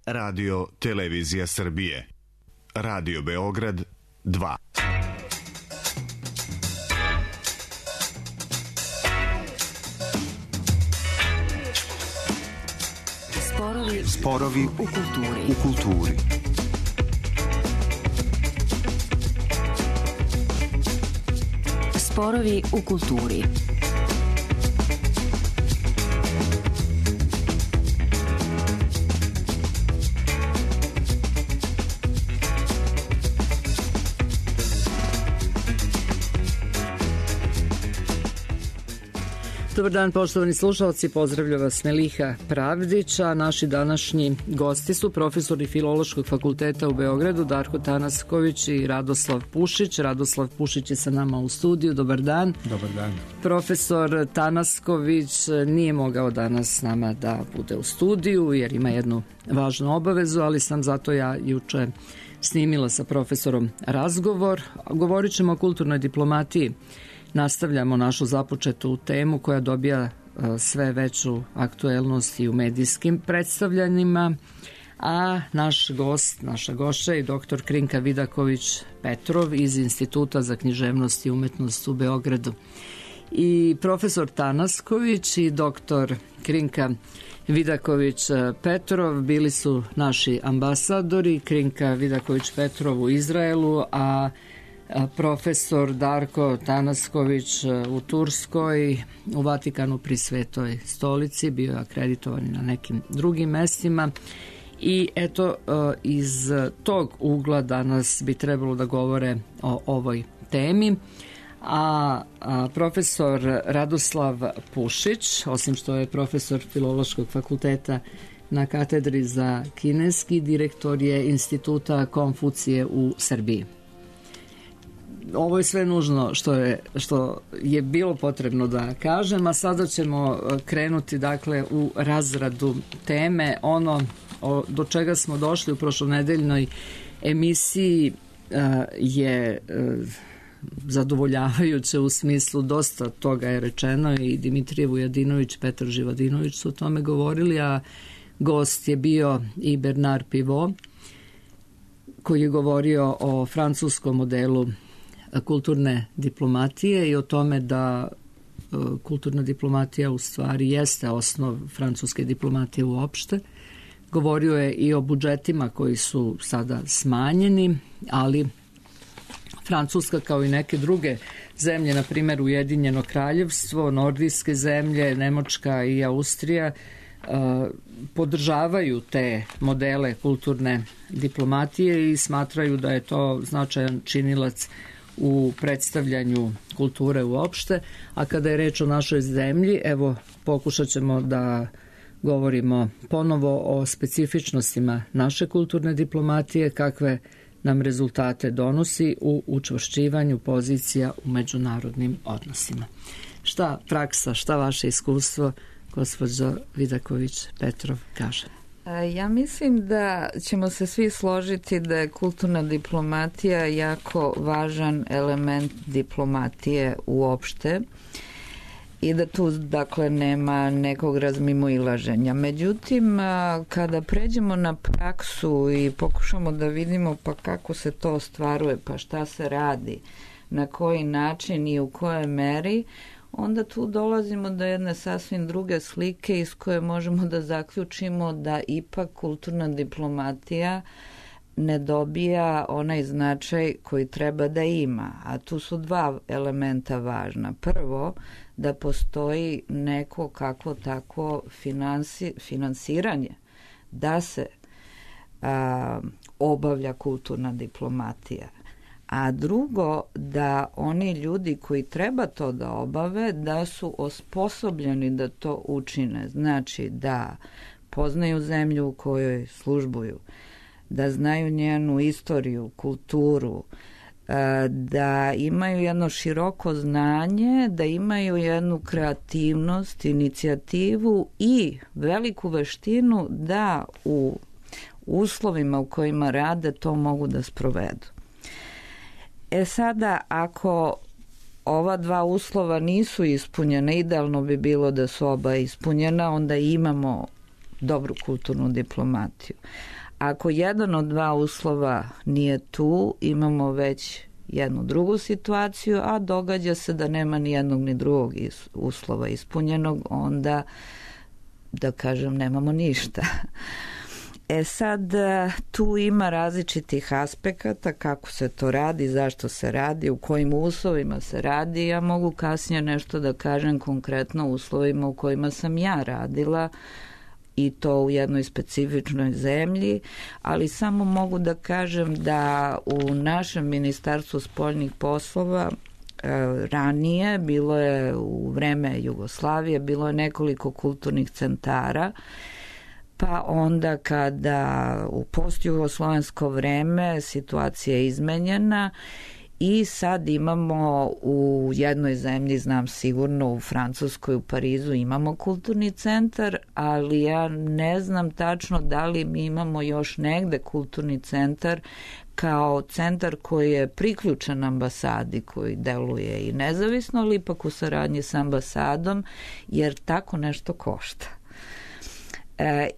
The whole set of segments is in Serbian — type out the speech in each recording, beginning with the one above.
Radio Televizija Srbije. Radio Beograd 2. Sporovi u kulturi. Sporovi u kulturi. Dobar dan, poštovani slušalci, pozdravlja vas Meliha Pravdića. Naši današnji gosti su profesori Filološkog fakulteta u Beogradu, Darko Tanasković i Radoslav Pušić. Radoslav Pušić je sa nama u studiju. Dobar dan. Dobar dan. Profesor Tanasković nije mogao danas s nama da bude u studiju jer ima jednu važnu obavezu, ali sam zato ja juče snimila sa profesorom razgovor. Govorit ćemo o kulturnoj diplomatiji. Nastavljamo našu započetu temu koja dobija sve veću aktuelnost i u medijskim predstavljanjima, a naša gošća je dr. Krinka Vidaković-Petrov iz Instituta za književnost i umetnost u Beogradu. I profesor Tanasković i dr. Krinka Vidaković-Petrov bili su naši ambasadori, Krinka Vidaković-Petrov u Izraelu, a profesor Darko Tanasković u Turskoj, u Vatikanu pri Svetoj stolici, bio je akreditovan na nekim drugim mestima. I eto, iz tog ugla danas bi trebalo da govore o ovoj temi. A profesor Radoslav Pušić, osim što je profesor Filološkog fakulteta na katedri za kineski, direktor je Instituta Konfucije u Srbiji. Ovo je sve nužno što je bilo potrebno da kažem, a sada ćemo krenuti dakle u razradu teme. Ono do čega smo došli u prošlonedeljnoj emisiji je zadovoljavajuće u smislu dosta toga je rečeno i Dimitrije Vujadinović, Petar Živadinović su o tome govorili, a gost je bio i Bernard Pivot koji je govorio o francuskom modelu kulturne diplomatije i o tome da kulturna diplomatija u stvari jeste osnov francuske diplomatije uopšte. Govorio je i o budžetima koji su sada smanjeni, ali Francuska kao i neke druge zemlje, na primjer Ujedinjeno kraljevstvo, nordijske zemlje, Nemačka i Austrija, podržavaju te modele kulturne diplomatije i smatraju da je to značajan činilac u predstavljanju kulture uopšte. A kada je reč o našoj zemlji, evo pokušat ćemo da govorimo ponovo o specifičnostima naše kulturne diplomatije, kakve nam rezultate donosi u učvršćivanju pozicija u međunarodnim odnosima. Šta praksa, šta vaše iskustvo, gospođo Vidaković-Petrov, kaže? Ja mislim da ćemo se svi složiti da je kulturna diplomatija jako važan element diplomatije uopšte i da tu dakle nema nekog razmimoilaženja. Međutim, kada pređemo na praksu i pokušamo da vidimo pa kako se to ostvaruje, pa šta se radi, na koji način i u kojoj meri, onda tu dolazimo do jedne sasvim druge slike iz koje možemo da zaključimo da ipak kulturna diplomatija ne dobija onaj značaj koji treba da ima. A tu su dva elementa važna. Prvo, da postoji neko kako tako finansiranje da se obavlja kulturna diplomatija. A drugo, da oni ljudi koji treba to da obave, da su osposobljeni da to učine. Znači da poznaju zemlju u kojoj službuju, da znaju njenu istoriju, kulturu, da imaju jedno široko znanje, da imaju jednu kreativnost, inicijativu i veliku veštinu da u uslovima u kojima rade to mogu da sprovedu. Sada, ako ova dva uslova nisu ispunjena, idealno bi bilo da su oba ispunjena, onda imamo dobru kulturnu diplomatiju. Ako jedan od dva uslova nije tu, imamo već jednu drugu situaciju, a događa se da nema ni jednog ni drugog uslova ispunjenog, onda, da kažem, nemamo ništa. Sad, tu ima različitih aspekata, kako se to radi, zašto se radi, u kojim uslovima se radi. Ja mogu kasnije nešto da kažem konkretno o uslovima u kojima sam ja radila, i to u jednoj specifičnoj zemlji, ali samo mogu da kažem da u našem Ministarstvu spoljnih poslova ranije, bilo je u vreme Jugoslavije, bilo je nekoliko kulturnih centara, pa onda kada u postjugoslovensko vreme situacija je izmenjena i sad imamo u jednoj zemlji, znam sigurno u Francuskoj, u Parizu imamo kulturni centar, ali ja ne znam tačno da li mi imamo još negde kulturni centar kao centar koji je priključen ambasadi, koji deluje i nezavisno, ali ipak u saradnji sa ambasadom, jer tako nešto košta.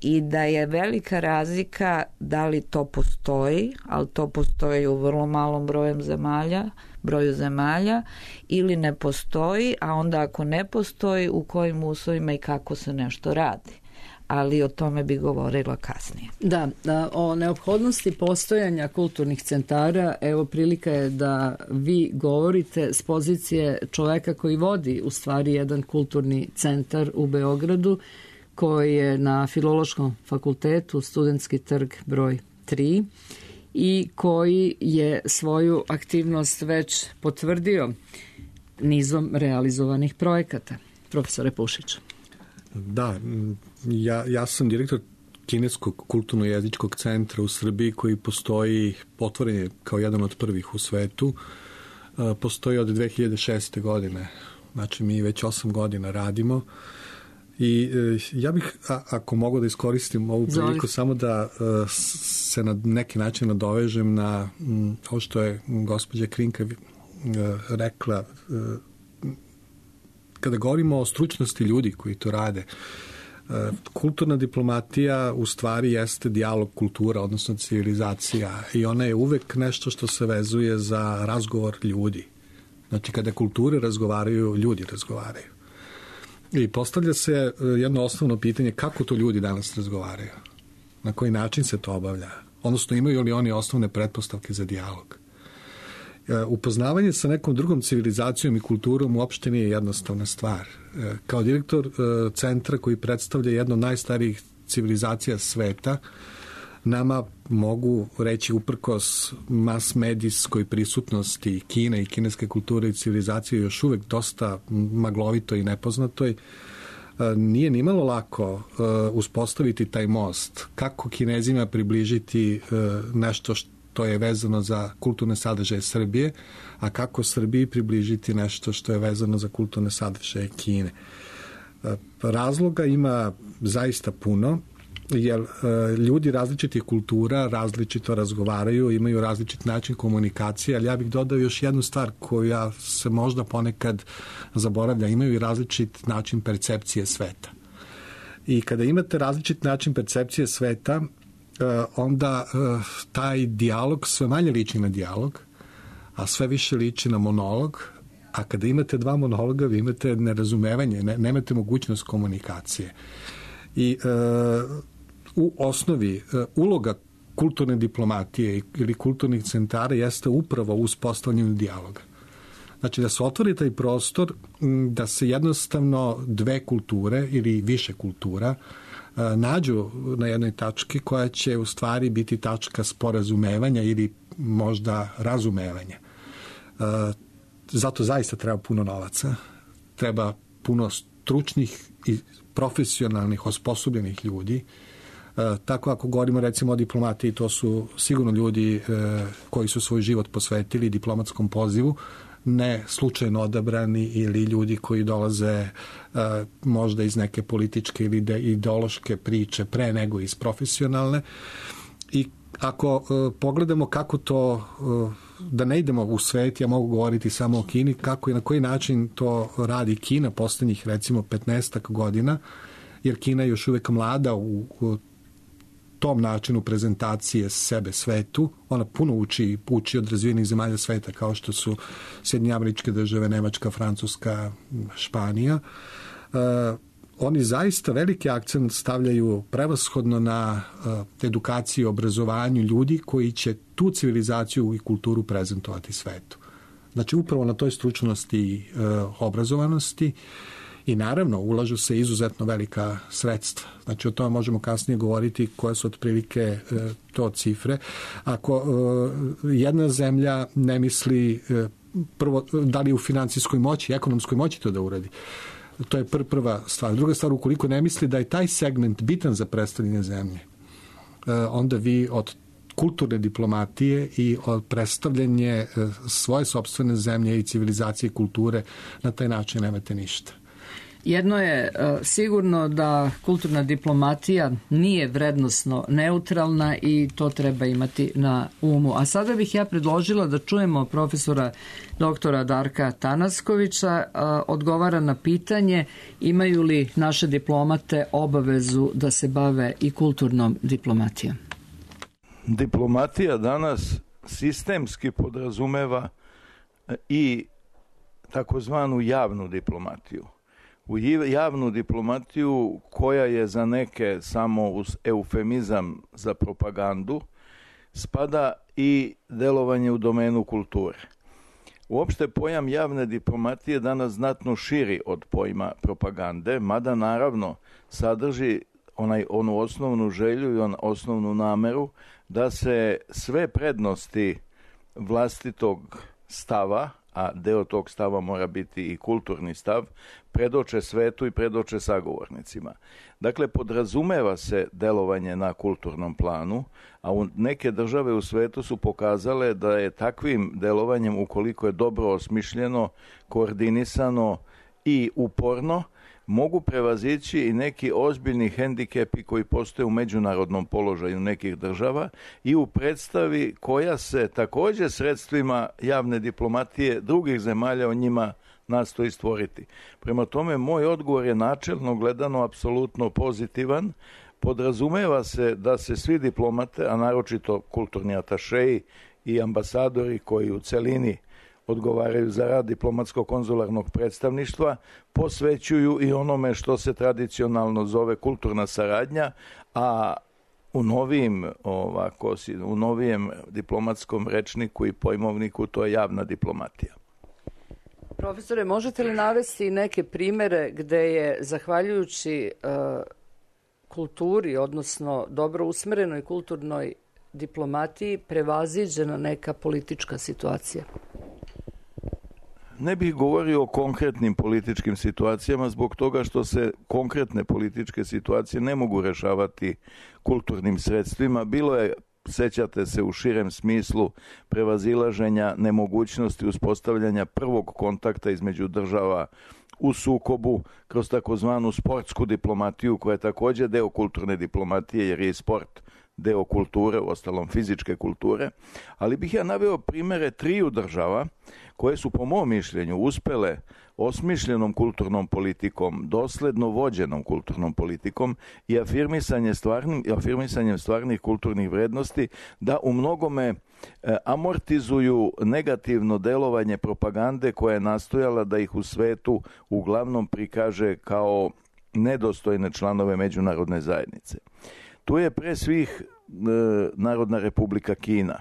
I da je velika razlika da li to postoji, ali to postoji u vrlo malom broju zemalja, ili ne postoji, a onda ako ne postoji, u kojim uslovima i kako se nešto radi. Ali o tome bi govorila kasnije. Da, o neophodnosti postojanja kulturnih centara, evo prilika je da vi govorite s pozicije čoveka koji vodi u stvari jedan kulturni centar u Beogradu, koji je na Filološkom fakultetu, Studentski trg broj 3, i koji je svoju aktivnost već potvrdio nizom realizovanih projekata. Profesore Pušić. Da, ja sam direktor Kineskog kulturno-jezičkog centra u Srbiji, koji postoji, otvoren je kao jedan od prvih u svetu. Postoji od 2006. godine, znači mi već 8 godina radimo. I ja bih, ako mogu da iskoristim ovu priliku, samo da se na neki način nadovežem na ovo što je gospođa Krinka rekla. Kada govorimo o stručnosti ljudi koji to rade, kulturna diplomatija u stvari jeste dijalog kultura, odnosno civilizacija, i ona je uvek nešto što se vezuje za razgovor ljudi. Znači, kada kulture razgovaraju, ljudi razgovaraju. I postavlja se jedno osnovno pitanje, kako to ljudi danas razgovaraju? Na koji način se to obavlja? Odnosno, imaju li oni osnovne pretpostavke za dijalog? Upoznavanje sa nekom drugom civilizacijom i kulturom uopšte nije jednostavna stvar. Kao direktor centra koji predstavlja jednu od najstarijih civilizacija sveta, nama mogu reći, uprkos mas-medijskoj prisutnosti Kine i kineske kulture i civilizacije, još uvek dosta maglovito i nepoznatoj, nije nimalo lako uspostaviti taj most. Kako Kinezima približiti nešto što je vezano za kulturne sadržaje Srbije, a kako Srbiji približiti nešto što je vezano za kulturne sadržaje Kine. Razloga ima zaista puno, jer ljudi različitih kultura različito razgovaraju, imaju različit način komunikacije, ali ja bih dodao još jednu stvar koja se možda ponekad zaboravlja, imaju i različit način percepcije sveta. I kada imate različit način percepcije sveta, onda taj dijalog sve manje liči na dijalog, a sve više liči na monolog, a kada imate dva monologa, vi imate nerazumevanje, nemate mogućnost komunikacije. I u osnovi uloga kulturne diplomatije ili kulturnih centara jeste upravo u uspostavljanju dijaloga. Znači da se otvori taj prostor, da se jednostavno dve kulture ili više kultura nađu na jednoj tački koja će u stvari biti tačka sporazumevanja ili možda razumevanja. Zato zaista treba puno novaca, treba puno stručnih i profesionalnih, osposobljenih ljudi. Tako ako govorimo recimo o diplomatiji, to su sigurno ljudi koji su svoj život posvetili diplomatskom pozivu, ne slučajno odabrani ili ljudi koji dolaze možda iz neke političke ili ideološke priče pre nego iz profesionalne. I ako pogledamo kako to, da ne idemo u svet, ja mogu govoriti samo o Kini, kako i na koji način to radi Kina poslednjih recimo 15 godina, jer Kina je još uvek mlada u tom načinu prezentacije sebe svetu. Ona puno uči od razvijenih zemalja sveta kao što su Sjedinjene Američke Države, Nemačka, Francuska, Španija. Oni zaista veliki akcent stavljaju prevashodno na edukaciju i obrazovanju ljudi koji će tu civilizaciju i kulturu prezentovati svetu. Znači upravo na toj stručnosti i obrazovanosti. I naravno, ulažu se izuzetno velika sredstva. Znači, o tome možemo kasnije govoriti koje su otprilike to cifre. Ako jedna zemlja ne misli prvo, da li u financijskoj moći, ekonomskoj moći to da uradi, to je prva stvar. Druga stvar, ukoliko ne misli da je taj segment bitan za predstavljanje zemlje, onda vi od kulturne diplomatije i od predstavljanje svoje sopstvene zemlje i civilizacije i kulture na taj način nemate ništa. Jedno je sigurno da kulturna diplomatija nije vrednosno neutralna i to treba imati na umu. A sada bih ja predložila da čujemo profesora doktora Darka Tanaskovića, odgovara na pitanje imaju li naše diplomate obavezu da se bave i kulturnom diplomatijom. Diplomatija danas sistemski podrazumeva i takozvanu javnu diplomatiju. U javnu diplomatiju koja je za neke samo uz eufemizam za propagandu spada i delovanje u domenu kulture. Uopšte pojam javne diplomatije danas znatno širi od pojma propagande, mada naravno sadrži onu osnovnu želju i osnovnu nameru da se sve prednosti vlastitog stava, a deo tog stava mora biti i kulturni stav, predoče svetu i predoče sagovornicima. Dakle, podrazumeva se delovanje na kulturnom planu, a neke države u svetu su pokazale da je takvim delovanjem, ukoliko je dobro osmišljeno, koordinisano i uporno, mogu prevazići i neki ozbiljni hendikepi koji postoje u međunarodnom položaju nekih država i u predstavi koja se također sredstvima javne diplomatije drugih zemalja o njima nastoji stvoriti. Prema tome, moj odgovor je načelno gledano apsolutno pozitivan. Podrazumeva se da se svi diplomate, a naročito kulturni atašeji i ambasadori koji u celini odgovaraju za rad diplomatsko-konzularnog predstavništva, posvećuju i onome što se tradicionalno zove kulturna saradnja, a u novijem diplomatskom rečniku i pojmovniku to je javna diplomatija. Profesore, možete li navesti neke primere gde je, zahvaljujući kulturi, odnosno dobro usmerenoj kulturnoj diplomatiji, prevaziđena neka politička situacija? Ne bih govorio o konkretnim političkim situacijama zbog toga što se konkretne političke situacije ne mogu rešavati kulturnim sredstvima. Bilo je, sećate se, u širem smislu prevazilaženja nemogućnosti uspostavljanja prvog kontakta između država u sukobu kroz takozvanu sportsku diplomatiju koja je također deo kulturne diplomatije jer je i sport deo kulture, uostalom fizičke kulture, ali bih ja naveo primere triju država koje su po mom mišljenju uspele osmišljenom kulturnom politikom, dosledno vođenom kulturnom politikom i afirmisanjem stvarnih kulturnih vrednosti da u mnogome amortizuju negativno delovanje propagande koja je nastojala da ih u svetu uglavnom prikaže kao nedostojne članove međunarodne zajednice. Tu je pre svih Narodna Republika Kina.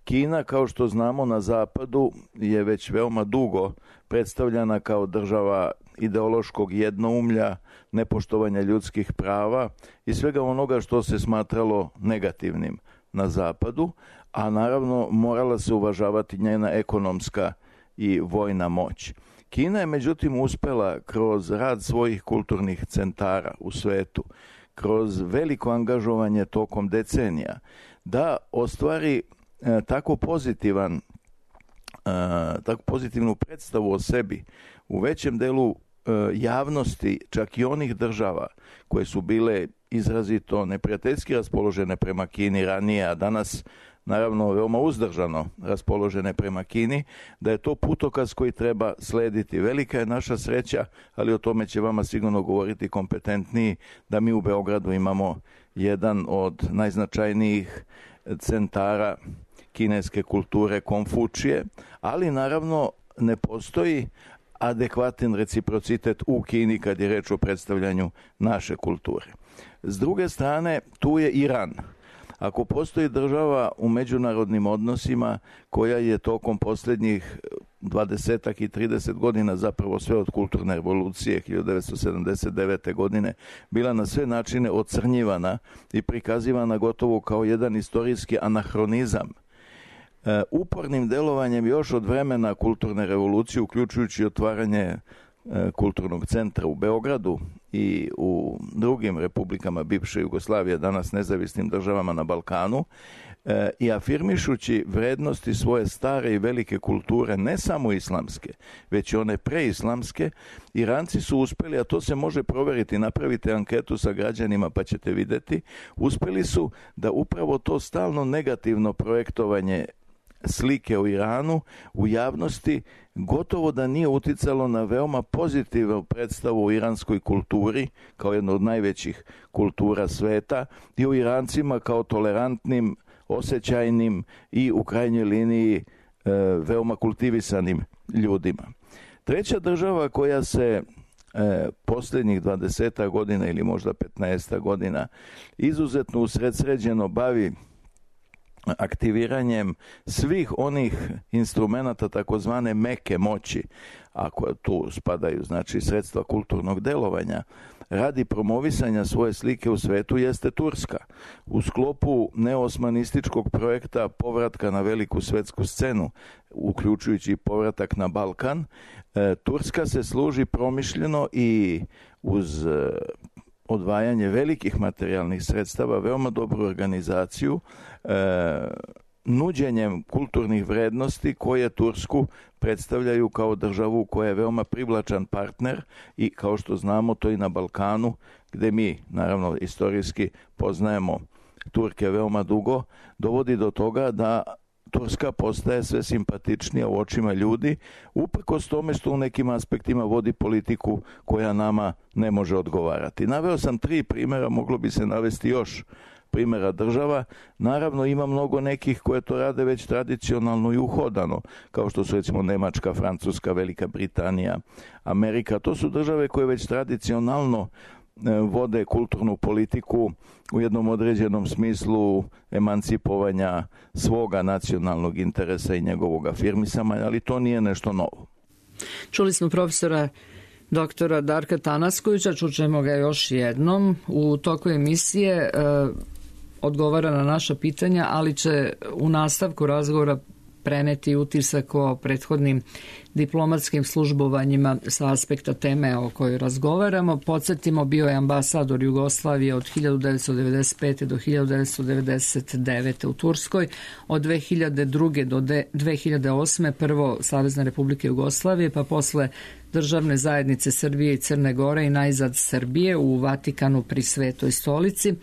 Kina, kao što znamo, na zapadu je već veoma dugo predstavljana kao država ideološkog jednoumlja, nepoštovanja ljudskih prava i svega onoga što se smatralo negativnim na zapadu, a naravno morala se uvažavati njena ekonomska i vojna moć. Kina je međutim uspela kroz rad svojih kulturnih centara u svetu, kroz veliko angažovanje tokom decenija, da ostvari tako pozitivnu predstavu o sebi u većem delu javnosti, čak i onih država koje su bile izrazito neprijateljski raspoložene prema Kini ranije, a danas naravno veoma uzdržano raspoložene prema Kini, da je to putokaz koji treba slediti. Velika je naša sreća, ali o tome će vama sigurno govoriti kompetentniji, da mi u Beogradu imamo jedan od najznačajnijih centara kineske kulture Konfučije, ali naravno ne postoji adekvatan reciprocitet u Kini kad je reč o predstavljanju naše kulture. S druge strane, tu je Iran. Ako postoji država u međunarodnim odnosima koja je tokom posljednjih 20 i 30 godina, zapravo sve od kulturne revolucije 1979. godine, bila na sve načine ocrnjivana i prikazivana gotovo kao jedan istorijski anahronizam, upornim delovanjem još od vremena kulturne revolucije, uključujući otvaranje kulturnog centra u Beogradu i u drugim republikama bivše Jugoslavije, danas nezavisnim državama na Balkanu, i afirmišući vrednosti svoje stare i velike kulture, ne samo islamske, već i one preislamske, Iranci su uspeli, a to se može proveriti, napravite anketu sa građanima pa ćete vidjeti, uspeli su da upravo to stalno negativno projektovanje slike o Iranu u javnosti gotovo da nije uticalo na veoma pozitivnu predstavu o iranskoj kulturi kao jedno od najvećih kultura sveta i o Irancima kao tolerantnim, osjećajnim i u krajnjoj liniji veoma kultivisanim ljudima. Treća država koja se posljednjih 20 godina ili možda 15 godina izuzetno usredsređeno bavi aktiviranjem svih onih instrumenata takozvane meke moći, ako tu spadaju znači sredstva kulturnog delovanja, radi promovisanja svoje slike u svetu, jeste Turska. U sklopu neosmanističkog projekta povratka na veliku svetsku scenu, uključujući povratak na Balkan, Turska se služi promišljeno i uz odvajanje velikih materijalnih sredstava, veoma dobru organizaciju, nuđenjem kulturnih vrednosti koje Tursku predstavljaju kao državu koja je veoma privlačan partner i kao što znamo to i na Balkanu, gde mi naravno istorijski poznajemo Turke veoma dugo, dovodi do toga da Turska postaje sve simpatičnija u očima ljudi, uprkos tome što u nekim aspektima vodi politiku koja nama ne može odgovarati. Naveo sam 3 primjera, moglo bi se navesti još primjera država. Naravno ima mnogo nekih koje to rade već tradicionalno i uhodano, kao što su recimo Nemačka, Francuska, Velika Britanija, Amerika. To su države koje već tradicionalno vode kulturnu politiku u jednom određenom smislu emancipovanja svoga nacionalnog interesa i njegovog afirmisanja, ali to nije nešto novo. Čuli smo profesora doktora Darka Tanaskovića, čućemo ga još jednom. U toku emisije odgovara na naša pitanja, ali će u nastavku razgovora preneti utisak o prethodnim diplomatskim službovanjima sa aspekta teme o kojoj razgovaramo. Podsjetimo, bio je ambasador Jugoslavije od 1995. do 1999. u Turskoj, od 2002. do 2008. prvo Savezne Republike Jugoslavije, pa posle Državne zajednice Srbije i Crne Gore i najzad Srbije u Vatikanu pri Svetoj stolici.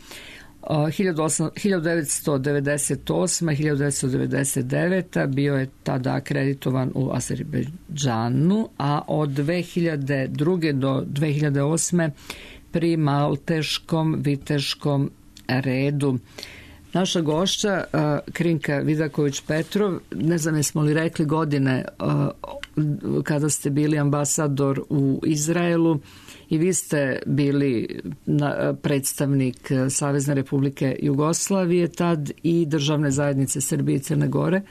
1998-1999 bio je tada akreditovan u Azerbejdžanu, a od 2002. do 2008. pri Malteškom viteškom redu. Naša gošća Krinka Vidaković-Petrov, ne znam jesmo li rekli godine kada ste bili ambasador u Izraelu, i vi ste bili predstavnik Savezne Republike Jugoslavije tad i Državne zajednice Srbije i Crne Gore.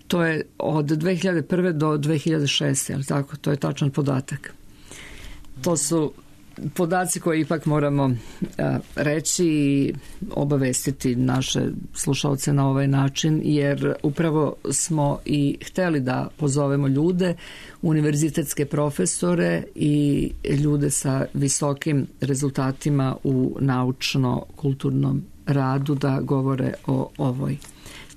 To je od 2001. do 2006. Ali tako? To je tačan podatak. To su podaci koje ipak moramo reći i obavestiti naše slušalce na ovaj način, jer upravo smo i hteli da pozovemo ljude, univerzitetske profesore i ljude sa visokim rezultatima u naučno-kulturnom radu da govore o ovoj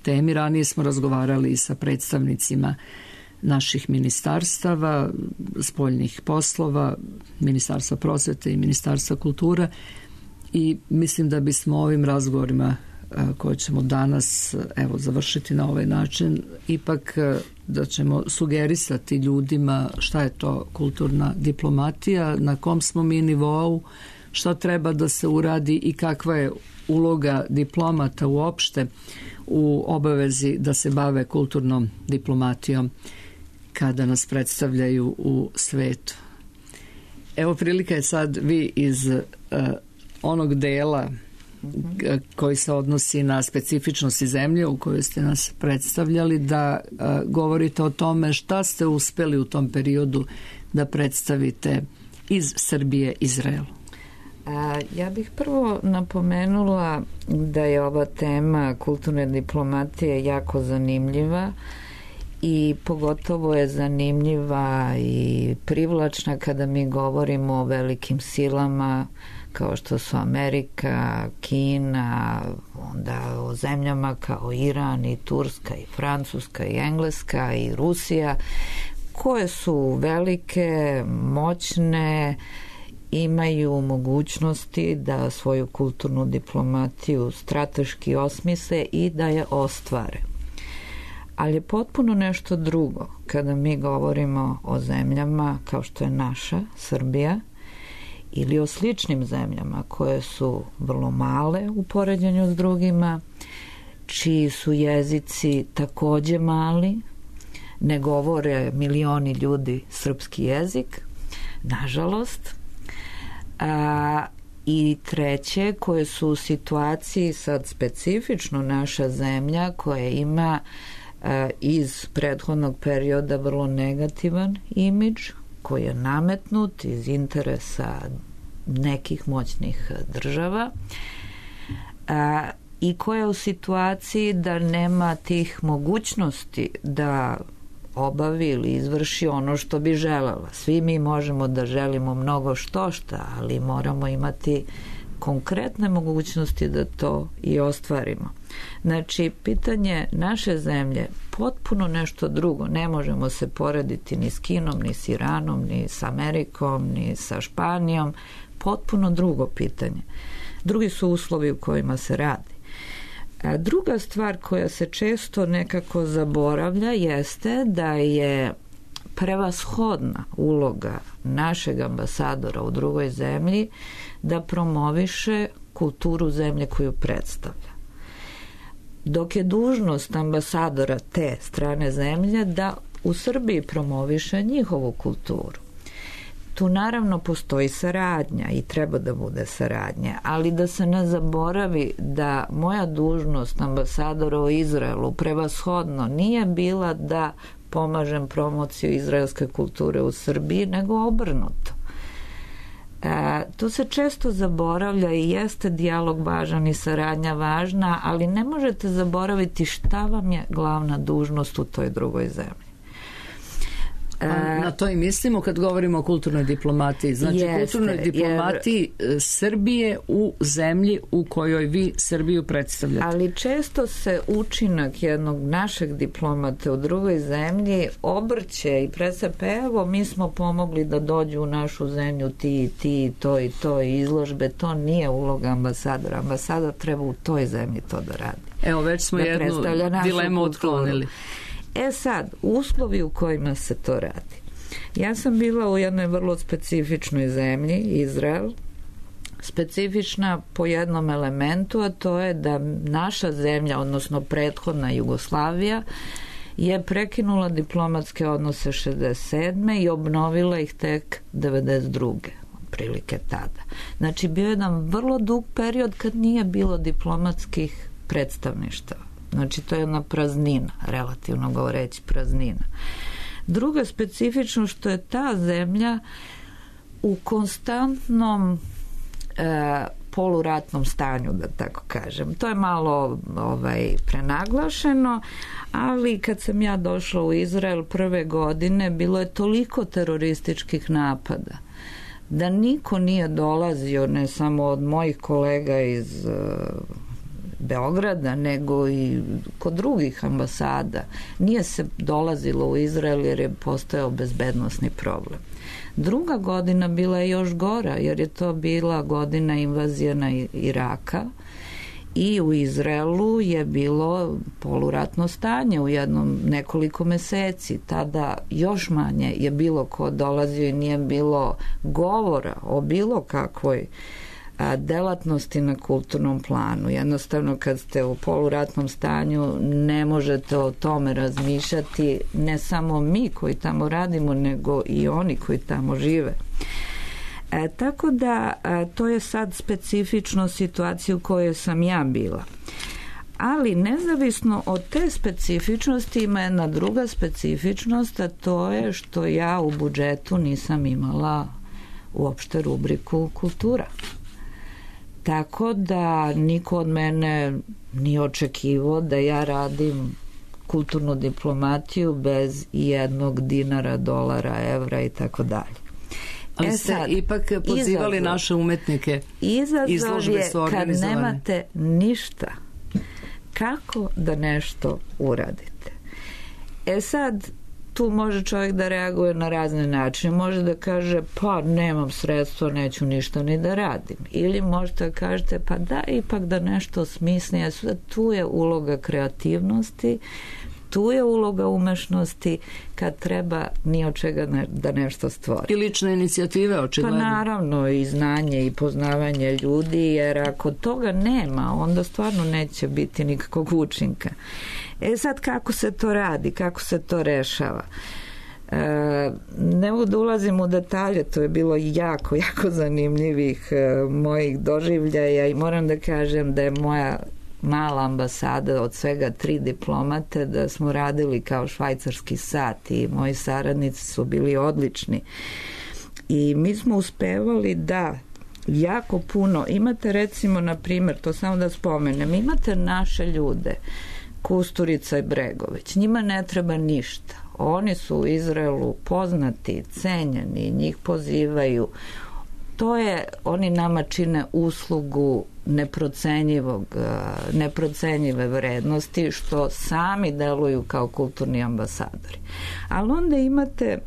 temi. Ranije smo razgovarali sa predstavnicima naših ministarstava, spoljnih poslova, Ministarstva prosvete i Ministarstva kulture, i mislim da bismo ovim razgovorima koje ćemo danas završiti na ovaj način, ipak da ćemo sugerisati ljudima šta je to kulturna diplomatija, na kom smo mi nivou, šta treba da se uradi i kakva je uloga diplomata uopšte u obavezi da se bave kulturnom diplomatijom kada nas predstavljaju u svetu. Evo, prilika je sad vi iz onog dela koji se odnosi na specifičnosti zemlje u kojoj ste nas predstavljali, da govorite o tome šta ste uspeli u tom periodu da predstavite iz Srbije Izraelu. Ja bih prvo napomenula da je ova tema kulturne diplomatije jako zanimljiva i pogotovo je zanimljiva i privlačna kada mi govorimo o velikim silama kao što su Amerika, Kina, onda o zemljama kao Iran i Turska i Francuska i Engleska i Rusija, koje su velike, moćne, imaju mogućnosti da svoju kulturnu diplomatiju strateški osmisle i da je ostvare. Ali je potpuno nešto drugo kada mi govorimo o zemljama kao što je naša, Srbija, ili o sličnim zemljama koje su vrlo male u poređenju s drugima, čiji su jezici takođe mali, ne govore milioni ljudi srpski jezik, nažalost, i treće, koje su u situaciji sad specifično naša zemlja koja ima iz prethodnog perioda vrlo negativan imidž koji je nametnut iz interesa nekih moćnih država i koja je u situaciji da nema tih mogućnosti da obavi ili izvrši ono što bi želela. Svi mi možemo da želimo mnogo štošta, ali moramo imati konkretne mogućnosti da to i ostvarimo. Znači, pitanje naše zemlje potpuno nešto drugo. Ne možemo se porediti ni s Kinom, ni s Iranom, ni s Amerikom, ni sa Španijom. Potpuno drugo pitanje. Drugi su uslovi u kojima se radi. A druga stvar koja se često nekako zaboravlja jeste da je prevashodna uloga našeg ambasadora u drugoj zemlji da promoviše kulturu zemlje koju predstavlja. Dok je dužnost ambasadora te strane zemlje da u Srbiji promoviše njihovu kulturu. Tu naravno postoji saradnja i treba da bude saradnja, ali da se ne zaboravi da moja dužnost ambasadora u Izraelu prevashodno nije bila da pomažem promociju izraelske kulture u Srbiji, nego obrnuto. To se često zaboravlja i jeste dijalog važan i saradnja važna, ali ne možete zaboraviti šta vam je glavna dužnost u toj drugoj zemlji. Na to i mislimo kad govorimo o kulturnoj diplomatiji. Znači, kulturnoj diplomatiji Srbije u zemlji u kojoj vi Srbiju predstavljate. Ali često se učinak jednog našeg diplomata u drugoj zemlji obrće i predstavlja, evo, mi smo pomogli da dođu u našu zemlju ti, to i to i izložbe. To nije uloga ambasadora. Ambasador treba u toj zemlji to da radi. Evo, već smo jednu dilemu otklonili. Sad, uslovi u kojima se to radi. Ja sam bila u jednoj vrlo specifičnoj zemlji, Izrael, specifična po jednom elementu, a to je da naša zemlja, odnosno prethodna Jugoslavija, je prekinula diplomatske odnose 67. i obnovila ih tek 92. prilike tada. Znači, bio je jedan vrlo dug period kad nije bilo diplomatskih predstavništava. Znači, to je jedna praznina, relativno govoreći praznina. Druga specifično što je ta zemlja u konstantnom poluratnom stanju, da tako kažem. To je malo prenaglašeno, ali kad sam ja došla u Izrael prve godine, bilo je toliko terorističkih napada da niko nije dolazio, ne samo od mojih kolega iz Beograda, nego i kod drugih ambasada. Nije se dolazilo u Izrael jer je postojao bezbednosni problem. Druga godina bila je još gora, jer je to bila godina invazije na Iraka I u Izraelu je bilo poluratno stanje u nekoliko meseci. Tada još manje je bilo ko dolazio i nije bilo govora o bilo kakvoj delatnosti na kulturnom planu. Jednostavno kad ste u poluratnom stanju ne možete o tome razmišljati, ne samo mi koji tamo radimo, nego i oni koji tamo žive. Tako da to je sad specifično situacija u kojoj sam ja bila. Ali nezavisno od te specifičnosti ima jedna druga specifičnost, a to je što ja u budžetu nisam imala uopšte rubriku kultura. Tako da niko od mene nije očekivao da ja radim kulturnu diplomatiju bez jednog dinara, dolara, evra i tako dalje. Ali ste ipak pozivali naše umetnike. Izazov je kad nemate ništa. Kako da nešto uradite? Sad, tu može čovjek da reaguje na razne načine. Može da kaže, pa nemam sredstvo, neću ništa ni da radim. Ili možete da kažete, pa da, ipak da nešto smisli. Tu je uloga kreativnosti, tu je uloga umešnosti kad treba ni od čega da nešto stvori. I lične inicijative, očigledno. Pa naravno, i znanje i poznavanje ljudi, jer ako toga nema, onda stvarno neće biti nikakvog učinka. Sad kako se to radi, kako se to rešava? Ne mogu da ulazim u detalje, to je bilo jako, jako zanimljivih mojih doživljaja i moram da kažem da je moja mala ambasada od svega 3 diplomate, da smo radili kao švajcarski sat i moji saradnici su bili odlični. I mi smo uspevali da jako puno, imate recimo, na primjer, to samo da spomenem, imate naše ljude, Kusturica i Bregović, njima ne treba ništa. Oni su u Izraelu poznati, cenjeni, njih pozivaju. To je, oni nama čine uslugu neprocenjive vrednosti, što sami deluju kao kulturni ambasadori. Ali onda imate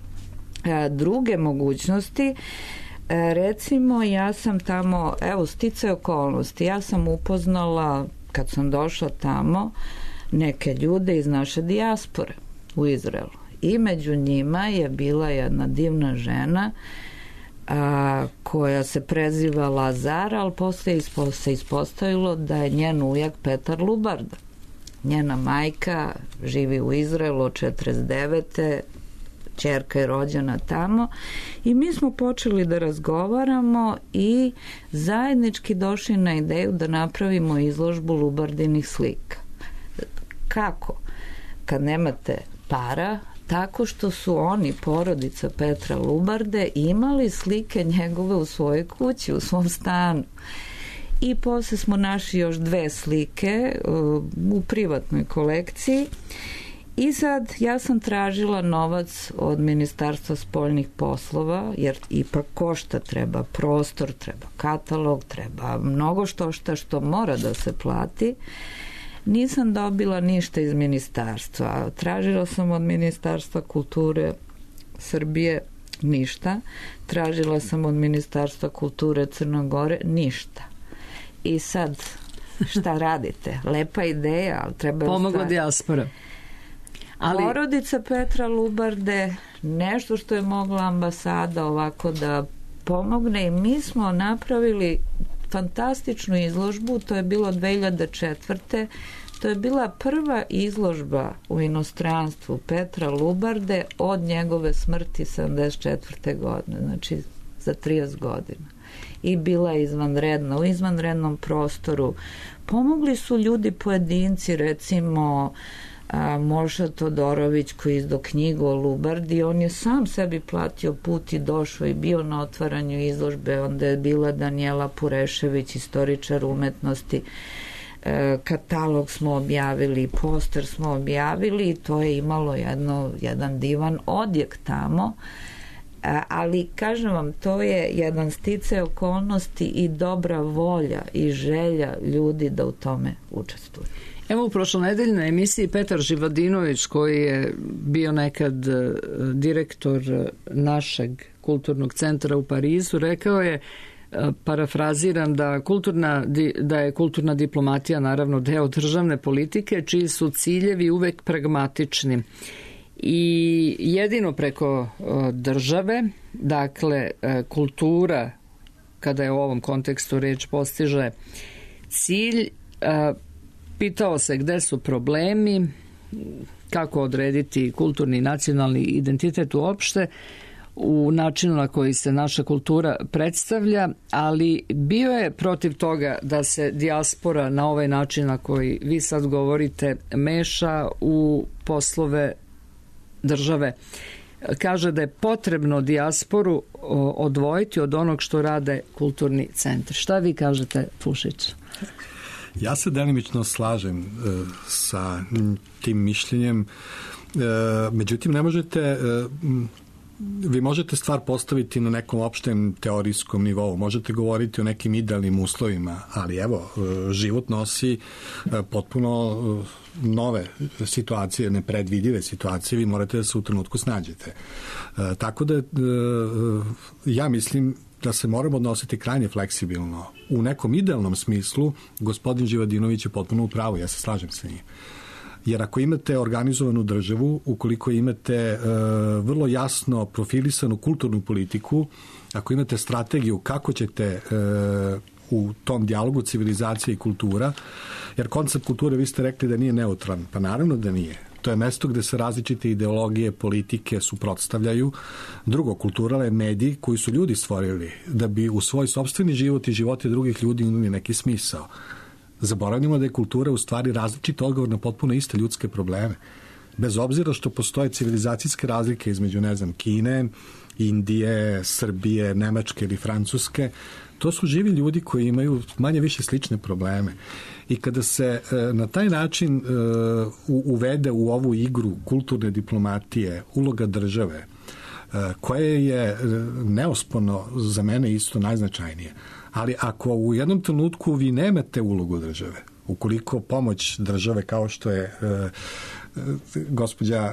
druge mogućnosti. Recimo, ja sam tamo, evo, sticaj okolnosti, ja sam upoznala, kad sam došla tamo, neke ljude iz naše dijaspore u Izraelu. I među njima je bila jedna divna žena koja se preziva Lazar, ali posle se ispostavilo da je njen ujak Petar Lubarda. Njena majka živi u Izraelu od 49. Ćerka je rođena tamo i mi smo počeli da razgovaramo i zajednički došli na ideju da napravimo izložbu Lubardinih slika. Kako? Kad nemate para, tako što su oni, porodica Petra Lubarde, imali slike njegove u svojoj kući, u svom stanu. I posle smo našli još 2 slike u privatnoj kolekciji. I sad ja sam tražila novac od Ministarstva spoljnih poslova, jer ipak košta, treba prostor, treba katalog, treba mnogo što mora da se plati. Nisam dobila ništa iz ministarstva. Tražila sam od Ministarstva kulture Srbije ništa. Tražila sam od Ministarstva kulture Crne Gore ništa. I sad, šta radite? Lepa ideja, ali treba... Pomogla dijaspora. Ali... Porodica Petra Lubarde, nešto što je mogla ambasada ovako da pomogne, i mi smo napravili fantastičnu izložbu, to je bilo 2004. To je bila prva izložba u inostranstvu Petra Lubarde od njegove smrti 74. godine, znači za 30 godina. I bila je izvanredna, u izvanrednom prostoru. Pomogli su ljudi pojedinci, recimo Moša Todorović koji je izdao knjigu o Lubardi, on je sam sebi platio put i došao i bio na otvaranju izložbe. Onda je bila Danijela Purešević, istoričar umetnosti, katalog smo objavili, poster smo objavili i to je imalo jedan divan odjek tamo. Ali kažem vam, to je jedan sticaj okolnosti i dobra volja i želja ljudi da u tome učestvuju. Evo, u prošlonedeljnoj emisiji Petar Živadinović, koji je bio nekad direktor našeg kulturnog centra u Parizu, rekao je parafraziram da je kulturna diplomatija naravno deo državne politike čiji su ciljevi uvek pragmatični i jedino preko države, dakle kultura, kada je u ovom kontekstu reč, postiže cilj. Pitao se gde su problemi, kako odrediti kulturni i nacionalni identitet uopšte u načinu na koji se naša kultura predstavlja, ali bio je protiv toga da se dijaspora na ovaj način na koji vi sad govorite meša u poslove države. Kaže da je potrebno dijasporu odvojiti od onog što rade kulturni centri. Šta vi kažete, Pušić? Ja se delimično slažem sa tim mišljenjem. Međutim, ne možete... Vi možete stvar postaviti na nekom opštem teorijskom nivou, možete govoriti o nekim idealnim uslovima, ali evo, život nosi potpuno nove situacije, nepredvidive situacije, vi morate da se u trenutku snađete. Tako da ja mislim da se moramo odnositi krajnje fleksibilno. U nekom idealnom smislu, gospodin Živadinović je potpuno u pravu, ja se slažem sa njim. Jer ako imate organizovanu državu, ukoliko imate vrlo jasno profilisanu kulturnu politiku, ako imate strategiju kako ćete u tom dijalogu civilizacija i kultura, jer koncept kulture, vi ste rekli da nije neutralan, pa naravno da nije. To je mesto gde se različite ideologije, politike suprotstavljaju. Drugo, kultura je medij koji su ljudi stvorili da bi u svoj sopstveni život i živote drugih ljudi imali neki smisao. Zaboravimo da je kultura u stvari različit odgovor na potpuno iste ljudske probleme. Bez obzira što postoje civilizacijske razlike između, ne znam, Kine, Indije, Srbije, Nemačke ili Francuske, to su živi ljudi koji imaju manje više slične probleme. I kada se na taj način uvede u ovu igru kulturne diplomatije uloga države, koje je neosporno za mene isto najznačajnije, ali ako u jednom trenutku vi nemate ulogu države, ukoliko pomoć države, kao što je gospođa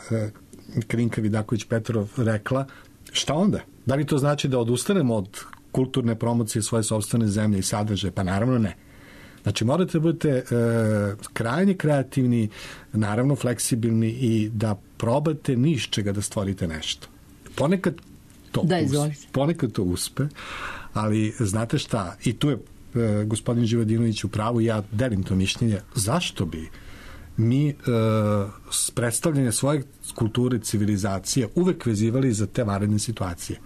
Krinka Vidaković-Petrov rekla, šta onda? Da li to znači da odustanemo od kulturne promocije svoje sopstvene zemlje i sadržaje? Pa naravno ne. Znači morate da budete krajnje kreativni, naravno fleksibilni i da probate ni iz čega da stvorite nešto. Ponekad to uspe, ali znate šta, i tu je gospodin Živadinović u pravu, ja delim to mišljenje, zašto bi mi predstavljanje svoje kulture, civilizacije uvek vezivali za te vanredne situacije.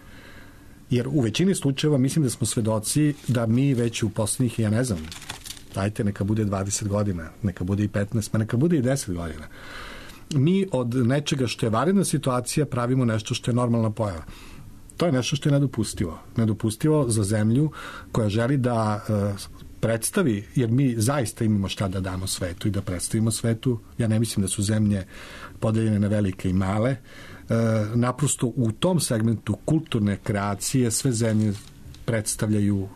Jer u većini slučajeva mislim da smo svedoci da mi već u poslednjih, ja ne znam, dajte neka bude 20 godina, neka bude i 15, pa neka bude i 10 godina. Mi od nečega što je vanredna situacija pravimo nešto što je normalna pojava. To je nešto što je nedopustivo. Nedopustivo za zemlju koja želi da predstavi, jer mi zaista imamo šta da damo svetu i da predstavimo svetu. Ja ne mislim da su zemlje podeljene na velike i male. Naprosto u tom segmentu kulturne kreacije sve zemlje predstavljaju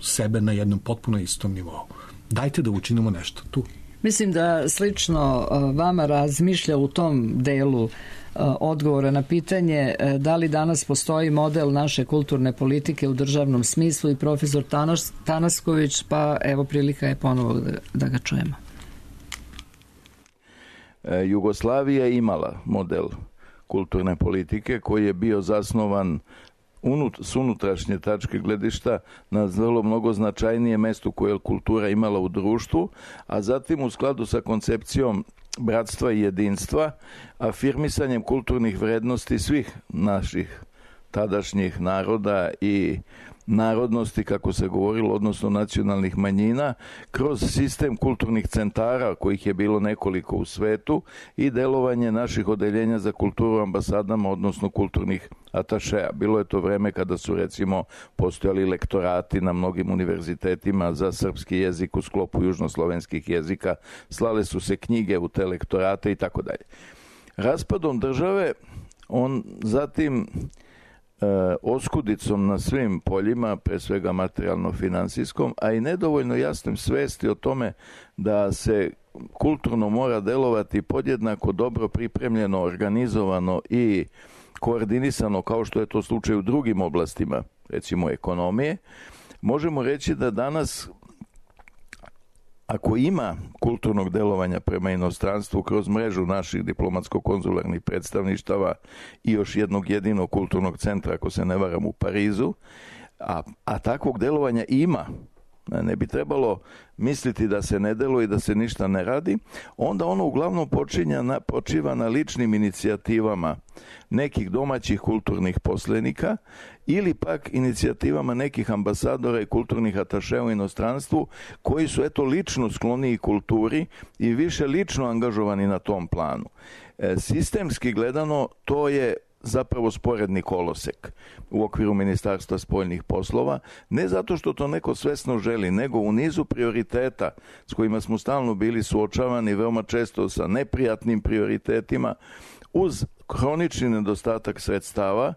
sebe na jednom potpuno istom nivou. Dajte da učinimo nešto tu. Mislim da slično vama razmišlja u tom delu odgovora na pitanje da li danas postoji model naše kulturne politike u državnom smislu i profesor Tanasković, pa evo prilika je ponovo da ga čujemo. Jugoslavija je imala model kulturne politike koji je bio zasnovan s unutrašnje tačke gledišta na vrlo mnogo značajnije mesto koje je kultura imala u društvu, a zatim u skladu sa koncepcijom bratstva i jedinstva, afirmisanjem kulturnih vrednosti svih naših tadašnjih naroda i narodnosti, kako se govorilo, odnosno nacionalnih manjina, kroz sistem kulturnih centara, kojih je bilo nekoliko u svetu, i delovanje naših odeljenja za kulturu ambasadama, odnosno kulturnih atašeja. Bilo je to vreme kada su, recimo, postojali lektorati na mnogim univerzitetima za srpski jezik u sklopu južnoslovenskih jezika, slale su se knjige u te lektorate i tako dalje. Raspadom države, on zatim oskudicom na svim poljima, pre svega materijalno-finansijskom, a i nedovoljno jasnim svesti o tome da se kulturno mora delovati podjednako dobro pripremljeno, organizovano i koordinisano, kao što je to slučaj u drugim oblastima, recimo ekonomije, možemo reći da danas, ako ima kulturnog delovanja prema inostranstvu kroz mrežu naših diplomatsko-konzularnih predstavništava i još jednog jedinog kulturnog centra, ako se ne varam, u Parizu, a takvog delovanja ima, ne bi trebalo misliti da se ne deluje i da se ništa ne radi, onda ono uglavnom počiva na ličnim inicijativama nekih domaćih kulturnih poslenika ili pak inicijativama nekih ambasadora i kulturnih atašea u inostranstvu koji su lično skloniji kulturi i više lično angažovani na tom planu. Sistemski gledano to je zapravo sporedni kolosek u okviru Ministarstva spoljnih poslova, ne zato što to neko svesno želi, nego u nizu prioriteta s kojima smo stalno bili suočavani, veoma često sa neprijatnim prioritetima, uz hronični nedostatak sredstava,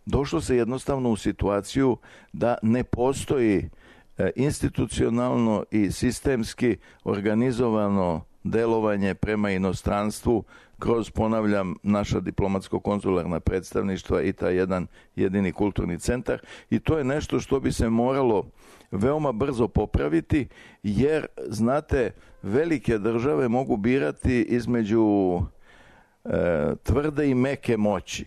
došlo se jednostavno u situaciju da ne postoji institucionalno i sistemski organizovano delovanje prema inostranstvu kroz, ponavljam, naša diplomatsko-konzularna predstavništva i taj jedan jedini kulturni centar, i to je nešto što bi se moralo veoma brzo popraviti, jer, znate, velike države mogu birati između tvrde i meke moći.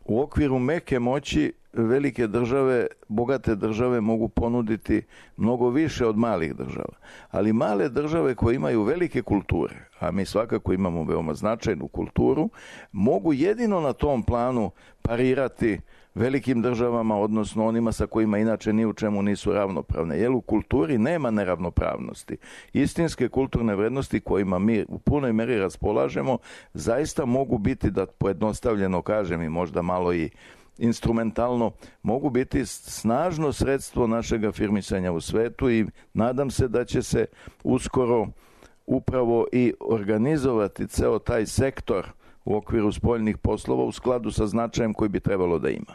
U okviru meke moći velike države, bogate države mogu ponuditi mnogo više od malih država. Ali male države koje imaju velike kulture, a mi svakako imamo veoma značajnu kulturu, mogu jedino na tom planu parirati velikim državama, odnosno onima sa kojima inače ni u čemu nisu ravnopravne. Jer u kulturi nema neravnopravnosti. Istinske kulturne vrednosti kojima mi u punoj meri raspolažemo zaista mogu biti, da pojednostavljeno kažem i možda malo i instrumentalno, mogu biti snažno sredstvo našeg afirmisanja u svetu, i nadam se da će se uskoro upravo i organizovati ceo taj sektor u okviru spoljnih poslova u skladu sa značajem koji bi trebalo da ima.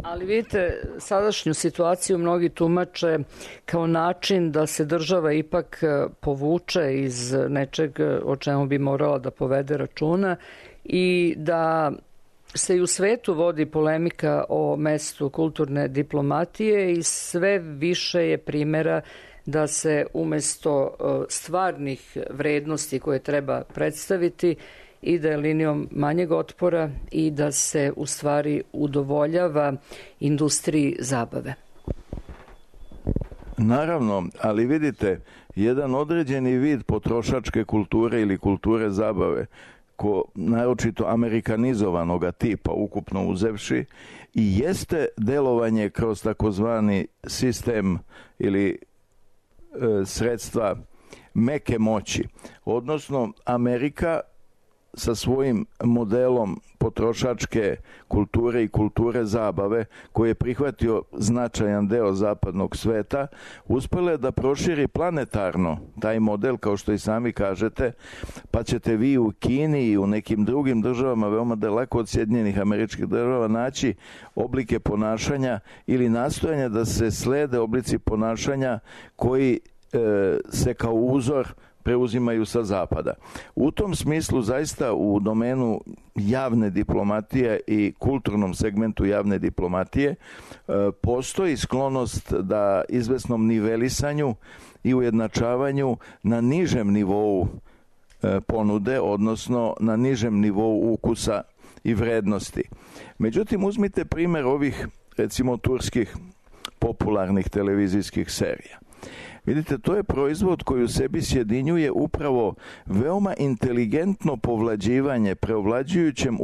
Ali vidite, sadašnju situaciju mnogi tumače kao način da se država ipak povuče iz nečeg o čemu bi morala da povede računa i da se i u svetu vodi polemika o mestu kulturne diplomatije i sve više je primjera da se umesto stvarnih vrednosti koje treba predstaviti ide linijom manjeg otpora i da se u stvari udovoljava industriji zabave. Naravno, ali vidite, jedan određeni vid potrošačke kulture ili kulture zabave, naročito amerikanizovanoga tipa, ukupno uzevši, i jeste delovanje kroz takozvani sistem ili sredstva meke moći. Odnosno, Amerika sa svojim modelom potrošačke kulture i kulture zabave, koji je prihvatio značajan deo zapadnog sveta, uspela je da proširi planetarno taj model, kao što i sami kažete, pa ćete vi u Kini i u nekim drugim državama veoma daleko od Sjedinjenih Američkih Država naći oblike ponašanja ili nastojanja da se slede oblici ponašanja koji se kao uzor preuzimaju sa zapada. U tom smislu zaista u domenu javne diplomatije i kulturnom segmentu javne diplomatije postoji sklonost da izvesnom nivelisanju i ujednačavanju na nižem nivou ponude, odnosno na nižem nivou ukusa i vrednosti. Međutim, uzmite primjer ovih, recimo, turskih popularnih televizijskih serija. Vidite, to je proizvod koji u sebi sjedinjuje upravo veoma inteligentno povlađivanje preovlađujućem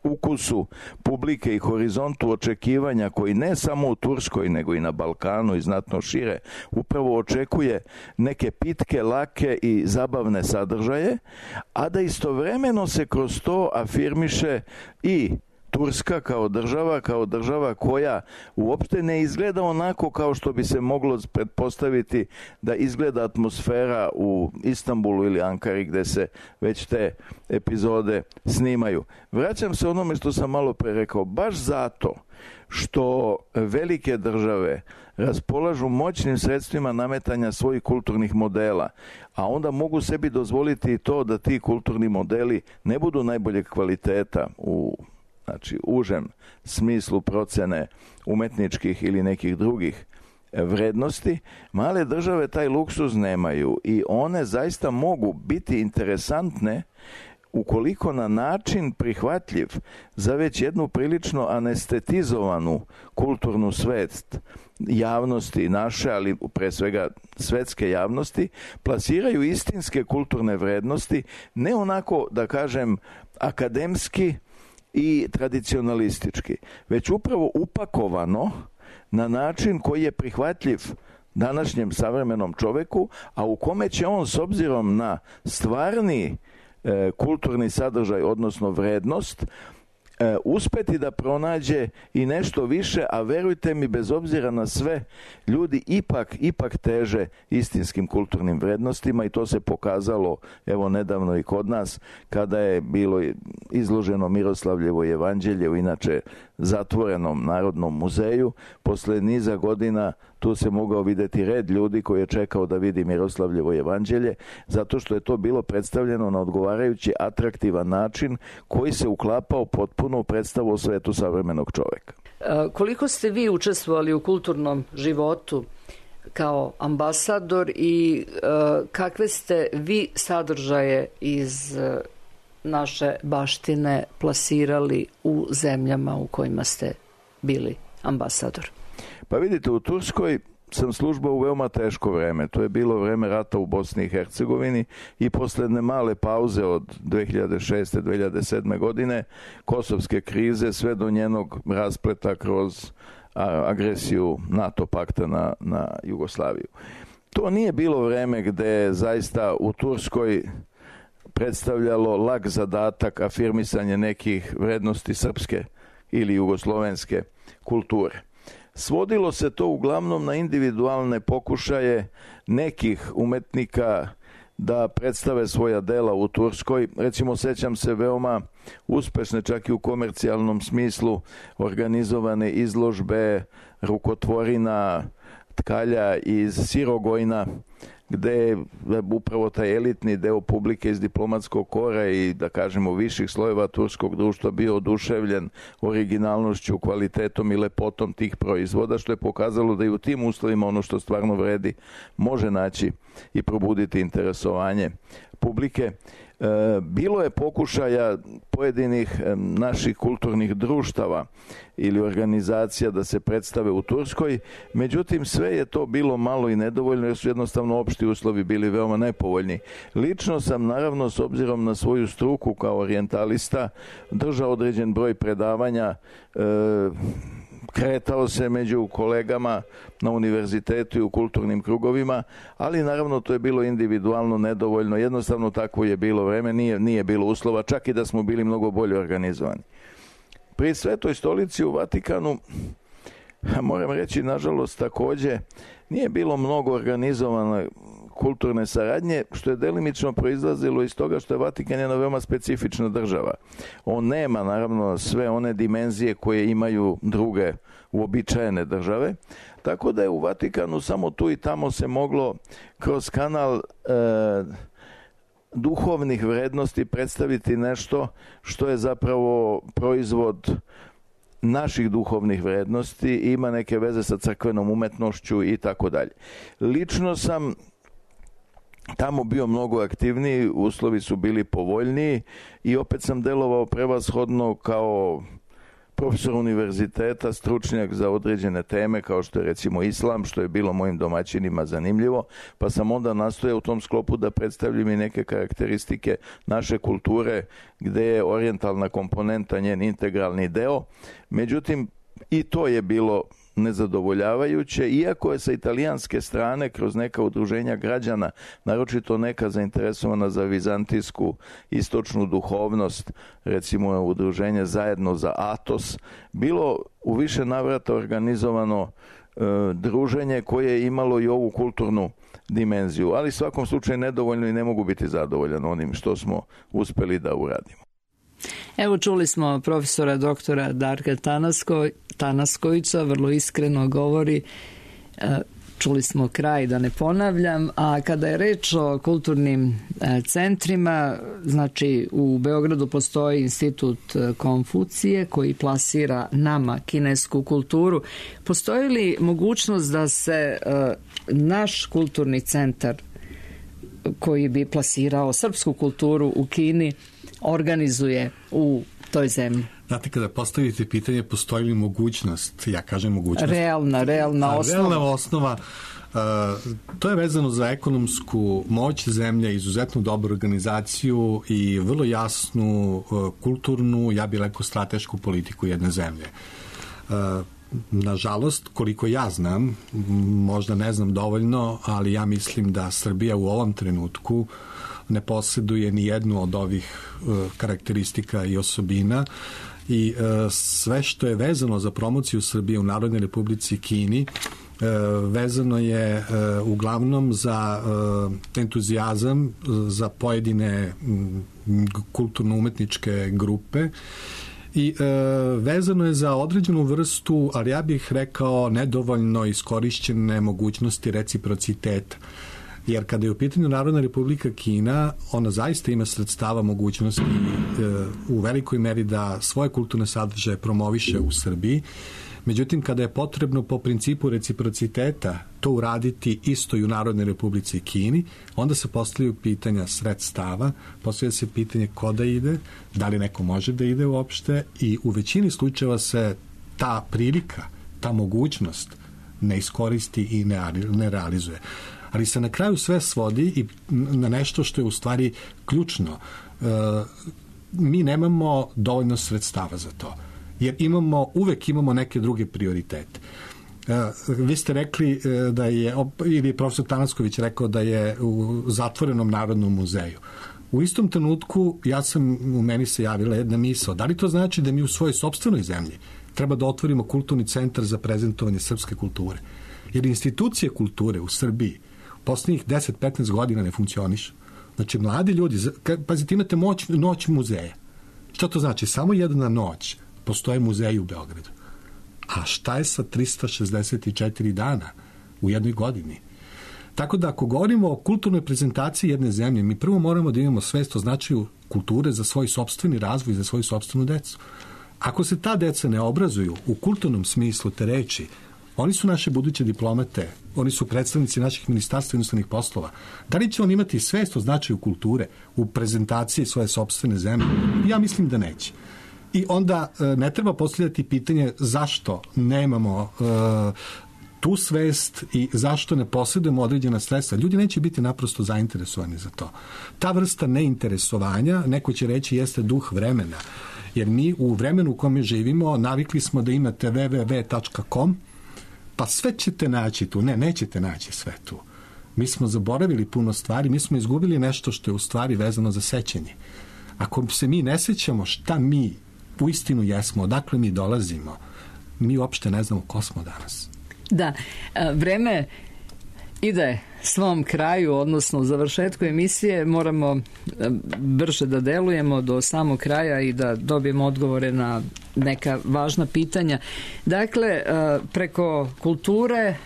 ukusu publike i horizontu očekivanja koji ne samo u Turskoj nego i na Balkanu i znatno šire upravo očekuje neke pitke, lake i zabavne sadržaje, a da istovremeno se kroz to afirmiše i Turska kao država koja uopšte ne izgleda onako kao što bi se moglo pretpostaviti da izgleda atmosfera u Istanbulu ili Ankari, gde se već te epizode snimaju. Vraćam se onome što sam malo pre rekao, baš zato što velike države raspolažu moćnim sredstvima nametanja svojih kulturnih modela, a onda mogu sebi dozvoliti i to da ti kulturni modeli ne budu najboljeg kvaliteta u znači užem smislu procene umetničkih ili nekih drugih vrednosti, male države taj luksuz nemaju i one zaista mogu biti interesantne ukoliko na način prihvatljiv za već jednu prilično anestetizovanu kulturnu svest javnosti naše, ali pre svega svetske javnosti, plasiraju istinske kulturne vrednosti, ne onako, da kažem, akademski i tradicionalistički, već upravo upakovano na način koji je prihvatljiv današnjem savremenom čoveku, a u kome će on s obzirom na stvarni kulturni sadržaj, odnosno vrednost, uspeti da pronađe i nešto više, a verujte mi, bez obzira na sve, ljudi ipak teže istinskim kulturnim vrednostima i to se pokazalo evo nedavno i kod nas kada je bilo izloženo Miroslavljevo evanđelje u inače zatvorenom Narodnom muzeju. Posle niza godina tu se mogao vidjeti red ljudi koji je čekao da vidi Miroslavljevo evanđelje, zato što je to bilo predstavljeno na odgovarajući atraktivan način koji se uklapao potpuno u predstavu o svetu savremenog čoveka. Koliko ste vi učestvovali u kulturnom životu kao ambasador i kakve ste vi sadržaje iz naše baštine plasirali u zemljama u kojima ste bili ambasador? Pa vidite, u Turskoj sam službao u veoma teško vreme. To je bilo vreme rata u Bosni i Hercegovini i posle jedne male pauze od 2006. 2007. godine, kosovske krize, sve do njenog raspleta kroz agresiju NATO pakta na Jugoslaviju. To nije bilo vreme gde zaista u Turskoj predstavljalo lak zadatak afirmisanje nekih vrednosti srpske ili jugoslovenske kulture. Svodilo se to uglavnom na individualne pokušaje nekih umetnika da predstave svoja dela u Turskoj. Recimo, sećam se veoma uspešne, čak i u komercijalnom smislu, organizovane izložbe rukotvorina, tkalja iz Sirogojna, gde je upravo taj elitni deo publike iz diplomatskog kora i, da kažemo, viših slojeva turskog društva bio oduševljen originalnošću, kvalitetom i lepotom tih proizvoda, što je pokazalo da i u tim uslovima ono što stvarno vredi može naći i probuditi interesovanje publike. Bilo je pokušaja pojedinih naših kulturnih društava ili organizacija da se predstave u Turskoj, međutim sve je to bilo malo i nedovoljno jer su jednostavno opšti uslovi bili veoma nepovoljni. Lično sam, naravno, s obzirom na svoju struku kao orijentalista, držao određen broj predavanja, kretao se među kolegama na univerzitetu i u kulturnim krugovima, ali naravno to je bilo individualno nedovoljno, jednostavno takvo je bilo vreme, nije bilo uslova, čak i da smo bili mnogo bolje organizovani. Pri Svetoj stolici u Vatikanu, moram reći, nažalost, takođe nije bilo mnogo organizovane kulturne saradnje, što je delimično proizlazilo iz toga što je Vatikan jedna veoma specifična država. On nema, naravno, sve one dimenzije koje imaju druge uobičajene države, tako da je u Vatikanu samo tu i tamo se moglo kroz kanal duhovnih vrednosti predstaviti nešto što je zapravo proizvod naših duhovnih vrednosti i ima neke veze sa crkvenom umetnošću i tako dalje. Lično sam tamo bio mnogo aktivniji, uslovi su bili povoljniji i opet sam delovao prevashodno kao profesor univerziteta, stručnjak za određene teme kao što je recimo islam, što je bilo mojim domaćinima zanimljivo, pa sam onda nastojao u tom sklopu da predstavljam i neke karakteristike naše kulture gde je orijentalna komponenta njen integralni deo. Međutim, i to je bilo nezadovoljavajuće, iako je sa italijanske strane kroz neka udruženja građana, naročito neka zainteresovana za vizantijsku istočnu duhovnost, recimo udruženje Zajedno za Atos, bilo u više navrata organizovano druženje koje je imalo i ovu kulturnu dimenziju, ali u svakom slučaju nedovoljno i ne mogu biti zadovoljan onim što smo uspeli da uradimo. Evo, čuli smo profesora doktora Darka Tanaskovića, vrlo iskreno govori. čuli smo kraj, da ne ponavljam, a kada je reč o kulturnim centrima, znači u Beogradu postoji institut Konfucije koji plasira nama kinesku kulturu. Postoji li mogućnost da se naš kulturni centar koji bi plasirao srpsku kulturu u Kini organizuje u toj zemlji? Znate, kada postavite pitanje postoji li mogućnost, ja kažem mogućnost. Realna osnova. Realna osnova, to je vezano za ekonomsku moć zemlje, izuzetnu dobru organizaciju i vrlo jasnu kulturnu, ja bih rekao stratešku politiku jedne zemlje. Nažalost, koliko ja znam, možda ne znam dovoljno, ali ja mislim da Srbija u ovom trenutku ne posjeduje ni jednu od ovih karakteristika i osobina i sve što je vezano za promociju Srbije u Narodnoj Republici Kini vezano je uglavnom za entuzijazam za pojedine kulturno-umetničke grupe i vezano je za određenu vrstu, ali ja bih rekao nedovoljno iskorišćene mogućnosti reciprociteta. Jer kada je u pitanju Narodna Republika Kina, ona zaista ima sredstava, mogućnosti u velikoj meri da svoje kulturne sadržaje promoviše u Srbiji. Međutim, kada je potrebno po principu reciprociteta to uraditi isto i u Narodnoj Republici Kini, onda se postavljaju pitanja sredstava, postavlja se pitanje ko da ide, da li neko može da ide uopšte i u većini slučajeva se ta prilika, ta mogućnost ne iskoristi i ne realizuje. Ali se na kraju sve svodi i na nešto što je u stvari ključno. Mi nemamo dovoljno sredstava za to. Jer uvek imamo neke druge prioritete. Vi ste rekli da je, ili profesor Tanasković rekao da je u zatvorenom Narodnom muzeju. U istom trenutku u meni se javila jedna misao. Da li to znači da mi u svojoj sopstvenoj zemlji treba da otvorimo kulturni centar za prezentovanje srpske kulture? Jer institucije kulture u Srbiji poslednjih 10-15 godina ne funkcionišu. Znači, mladi ljudi, pazite, imate noć muzeja. Šta to znači? Samo jedna noć postoje muzeji u Beogradu. A šta je sa 364 dana u jednoj godini? Tako da, ako govorimo o kulturnoj prezentaciji jedne zemlje, mi prvo moramo da imamo svest o značaju kulture za svoj sopstveni razvoj, za svoju sopstvenu decu. Ako se ta deca ne obrazuju u kulturnom smislu te reči, oni su naše buduće diplomate, oni su predstavnici naših ministarstva inostranih poslova. Da li će on imati svest o značaju kulture u prezentaciji svoje sopstvene zemlje? Ja mislim da neće. I onda ne treba postavljati pitanje zašto nemamo tu svest i zašto ne posjedujemo određena sredstva. Ljudi neće biti naprosto zainteresovani za to. Ta vrsta neinteresovanja, neko će reći, jeste duh vremena. Jer mi u vremenu u kome živimo navikli smo da imate www.com, pa sve ćete naći tu. Ne, nećete naći sve tu. Mi smo zaboravili puno stvari, mi smo izgubili nešto što je u stvari vezano za sećanje. Ako se mi ne sećamo šta mi uistinu jesmo, odakle mi dolazimo, mi uopšte ne znamo ko smo danas. Da, vreme ide svom kraju, odnosno završetku emisije, moramo brže da delujemo do samog kraja i da dobijemo odgovore na neka važna pitanja. Dakle, preko kulture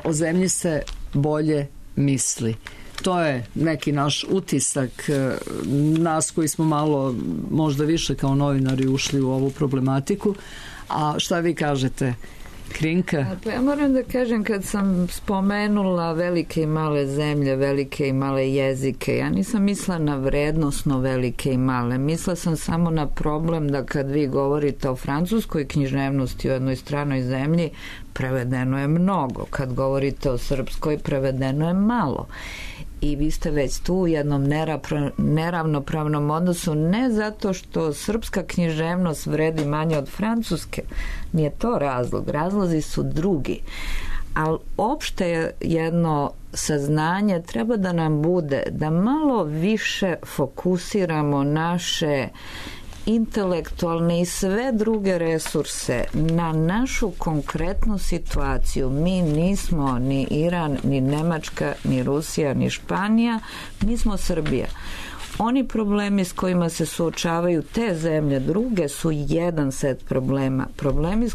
o zemlji se bolje misli. To je neki naš utisak, nas koji smo malo, možda više kao novinari ušli u ovu problematiku. A šta vi kažete, Krinka? Pa ja moram da kažem, kad sam spomenula velike i male zemlje, velike i male jezike, ja nisam mislila na vrednosno velike i male. Mislila sam samo na problem da kad vi govorite o francuskoj književnosti u jednoj stranoj zemlji, prevedeno je mnogo. Kad govorite o srpskoj, prevedeno je malo. I vi ste već tu u jednom neravnopravnom odnosu, ne zato što srpska književnost vredi manje od francuske, nije to razlog, razlozi su drugi. Ali opšte jedno saznanje treba da nam bude da malo više fokusiramo naše intelektualne i sve druge resurse na našu konkretnu situaciju. Mi nismo ni Iran, ni Nemačka, ni Rusija, ni Španija, mi smo Srbija. Oni problemi s kojima se suočavaju te zemlje druge su jedan set problema. Problemi s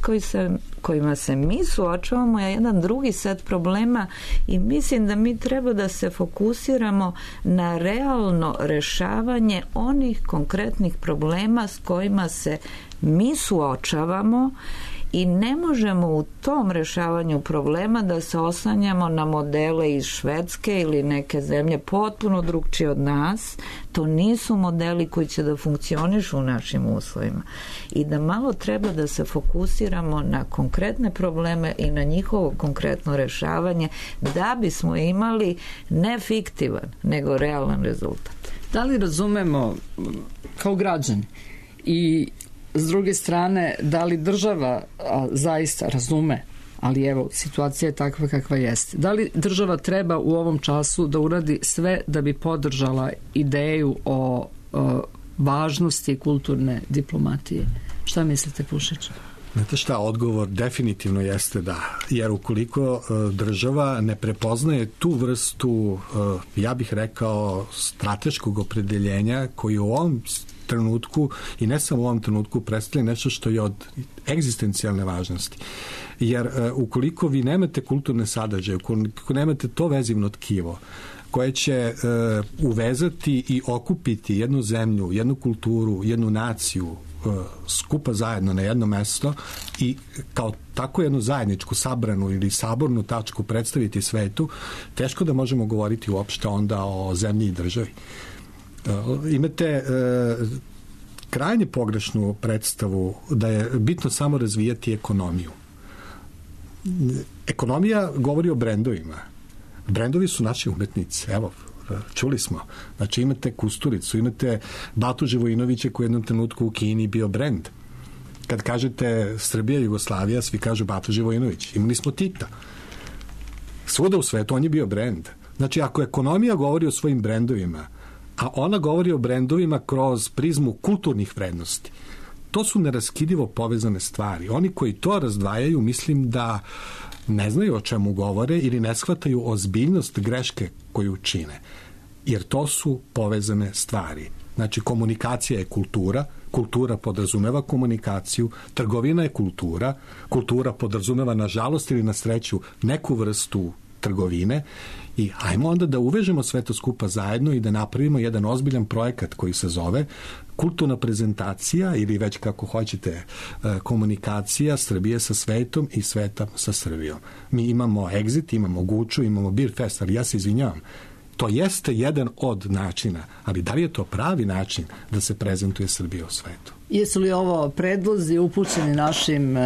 kojima se mi suočavamo je jedan drugi set problema i mislim da mi treba da se fokusiramo na realno rešavanje onih konkretnih problema s kojima se mi suočavamo i ne možemo u tom rešavanju problema da se oslanjamo na modele iz Švedske ili neke zemlje potpuno drugčije od nas. To nisu modeli koji će da funkcionišu u našim uslovima. I da malo treba da se fokusiramo na konkretne probleme i na njihovo konkretno rešavanje da bismo imali ne fiktivan, nego realan rezultat. Da li razumemo kao građani i s druge strane, da li država zaista razume, ali evo, situacija je takva kakva jeste. Da li država treba u ovom času da uradi sve da bi podržala ideju o važnosti kulturne diplomatije? Šta mislite, Pušić? Znate šta, odgovor definitivno jeste da, jer ukoliko država ne prepoznaje tu vrstu, ja bih rekao, strateškog opredeljenja koji u ovom trenutku i ne samo u ovom trenutku predstavlja nešto što je od egzistencijalne važnosti. Jer ukoliko vi nemate kulturne sadržaje, ukoliko nemate to vezivno tkivo koje će uvezati i okupiti jednu zemlju, jednu kulturu, jednu naciju skupa zajedno na jedno mesto i kao tako jednu zajedničku sabranu ili sabornu tačku predstaviti svetu, teško da možemo govoriti uopšte onda o zemlji i državi. Imate krajnje pogrešnu predstavu da je bitno samo razvijati ekonomiju. Ekonomija govori o brendovima. Brendovi su naši umetnici. Evo, čuli smo. Znači imate Kusturicu, imate Batu Živojinovića koji je u jednom trenutku u Kini bio brend. Kad kažete Srbija, Jugoslavija, svi kažu Batu Živojinović. Imali smo Tita. Svuda u svetu on je bio brend. Znači ako ekonomija govori o svojim brendovima, a ona govori o brendovima kroz prizmu kulturnih vrednosti, to su neraskidivo povezane stvari. Oni koji to razdvajaju, mislim da ne znaju o čemu govore ili ne shvataju ozbiljnost greške koju čine. Jer to su povezane stvari. Znači, komunikacija je kultura, kultura podrazumeva komunikaciju, trgovina je kultura, kultura podrazumeva, nažalost ili na sreću, neku vrstu trgovine i ajmo onda da uvežemo sve to skupa zajedno i da napravimo jedan ozbiljan projekat koji se zove kulturna prezentacija ili već kako hoćete komunikacija Srbije sa svetom i sveta sa Srbijom. Mi imamo Exit, imamo Guču, imamo Beer Fest, ali ja se izvinjavam, to jeste jedan od načina, ali da li je to pravi način da se prezentuje Srbija u svetu? Jesu li ovo predlozi upućeni našim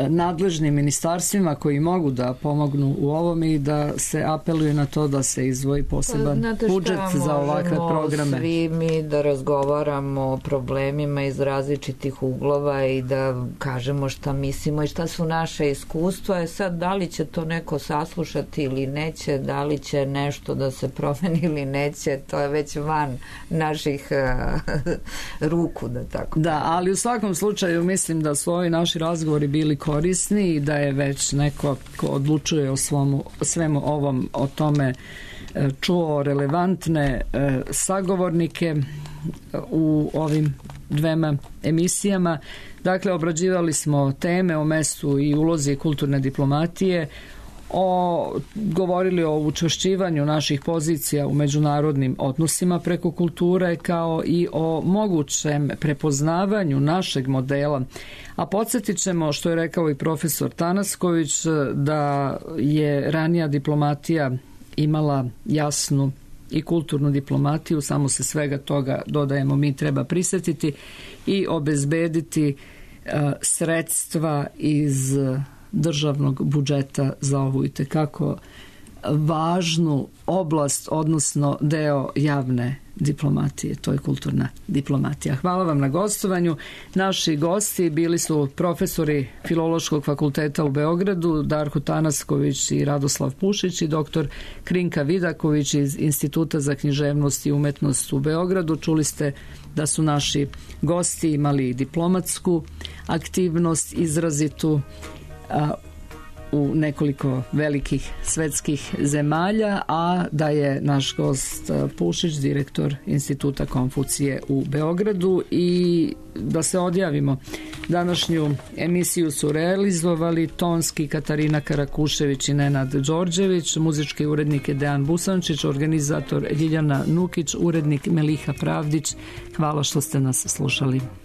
nadležnim ministarstvima koji mogu da pomognu u ovom i da se apeluje na to da se izdvoji poseban budžet za ovakve programe? Svi mi da razgovaramo o problemima iz različitih uglova i da kažemo šta mislimo i šta su naše iskustva. Sad, da li će to neko saslušati ili neće, da li će nešto da se promeni ili neće, to je već van naših ruku, da tako. Da, ali u svakom slučaju mislim da su ovi naši razgovori bili korisni i da je već neko ko odlučuje o svemu ovom, o tome čuo relevantne sagovornike u ovim dvema emisijama. Dakle, obrađivali smo teme o mestu i ulozi kulturne diplomatije, govorili o učvršćivanju naših pozicija u međunarodnim odnosima preko kulture, kao i o mogućem prepoznavanju našeg modela. A podsjetit ćemo, što je rekao i profesor Tanasković, da je ranija diplomatija imala jasnu i kulturnu diplomatiju, samo se svega toga, dodajemo mi, treba prisjetiti i obezbediti sredstva iz državnog budžeta za ovu itekako važnu oblast, odnosno deo javne diplomatije, to je kulturna diplomatija. Hvala vam na gostovanju. Naši gosti bili su profesori Filološkog fakulteta u Beogradu, Darko Tanasković i Radoslav Pušić, i doktor Krinka Vidaković iz Instituta za književnost i umetnost u Beogradu. Čuli ste da su naši gosti imali diplomatsku aktivnost izrazitu u nekoliko velikih svetskih zemalja, a da je naš gost Pušić, direktor Instituta Konfucije u Beogradu. I da se odjavimo, današnju emisiju su realizovali tonski Katarina Karakušević i Nenad Đorđević, muzički urednik je Dejan Busančić, organizator Ljiljana Nukić, urednik Meliha Pravdić. Hvala što ste nas slušali.